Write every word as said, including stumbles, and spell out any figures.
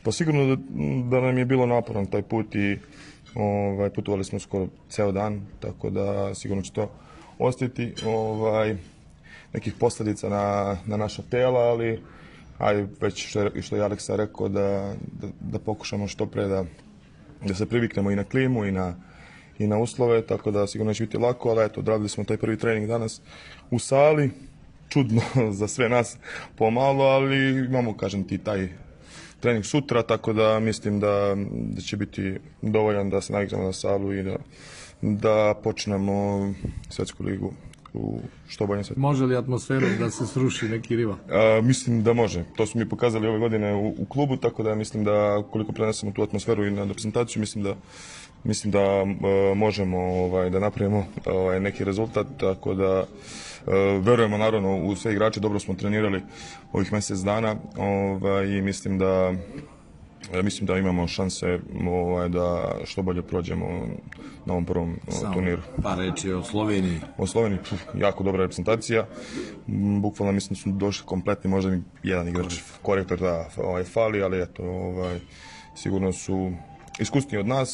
Pa sigurno da, da nam je bilo naporan taj put i ovaj, putovali smo skoro ceo dan, tako da sigurno će to ostati ovaj, nekih posljedica na, na naša tela, ali ajde, već što je, što je Aleksa rekao, da, da, da pokušamo što pre da, da se priviknemo i na klimu i na, i na uslove, tako da sigurno neće biti lako, ali eto, odradili smo taj prvi trening danas u sali, čudno za sve nas pomalo, ali imamo, kažem ti, taj trening sutra, tako da mislim da, da će biti dovoljan da se naviknemo na salu i da, da počnemo svjetsku ligu u što boljem svetu. Može li atmosfera da se sruši neki rival? A, mislim da može. To smo mi pokazali ove godine u, u klubu, tako da mislim da koliko prenesemo tu atmosferu i na reprezentaciju, mislim da mislim da e, možemo ovaj, da napravimo ovaj, neki rezultat, tako da e, verujemo naravno u sve igrače, dobro smo trenirali ovih mjesec dana ovaj, i mislim da mislim da imamo šanse ovaj, da što bolje prođemo na ovom prvom Samo turniru. Pa reći o Sloveniji. O Sloveniji, puf, jako dobra reprezentacija. Bukvalno mislim da su došli kompletni, možda mi jedan igrač korektor da ovaj, fali, ali eto, ovaj, sigurno su iskusniji od nas.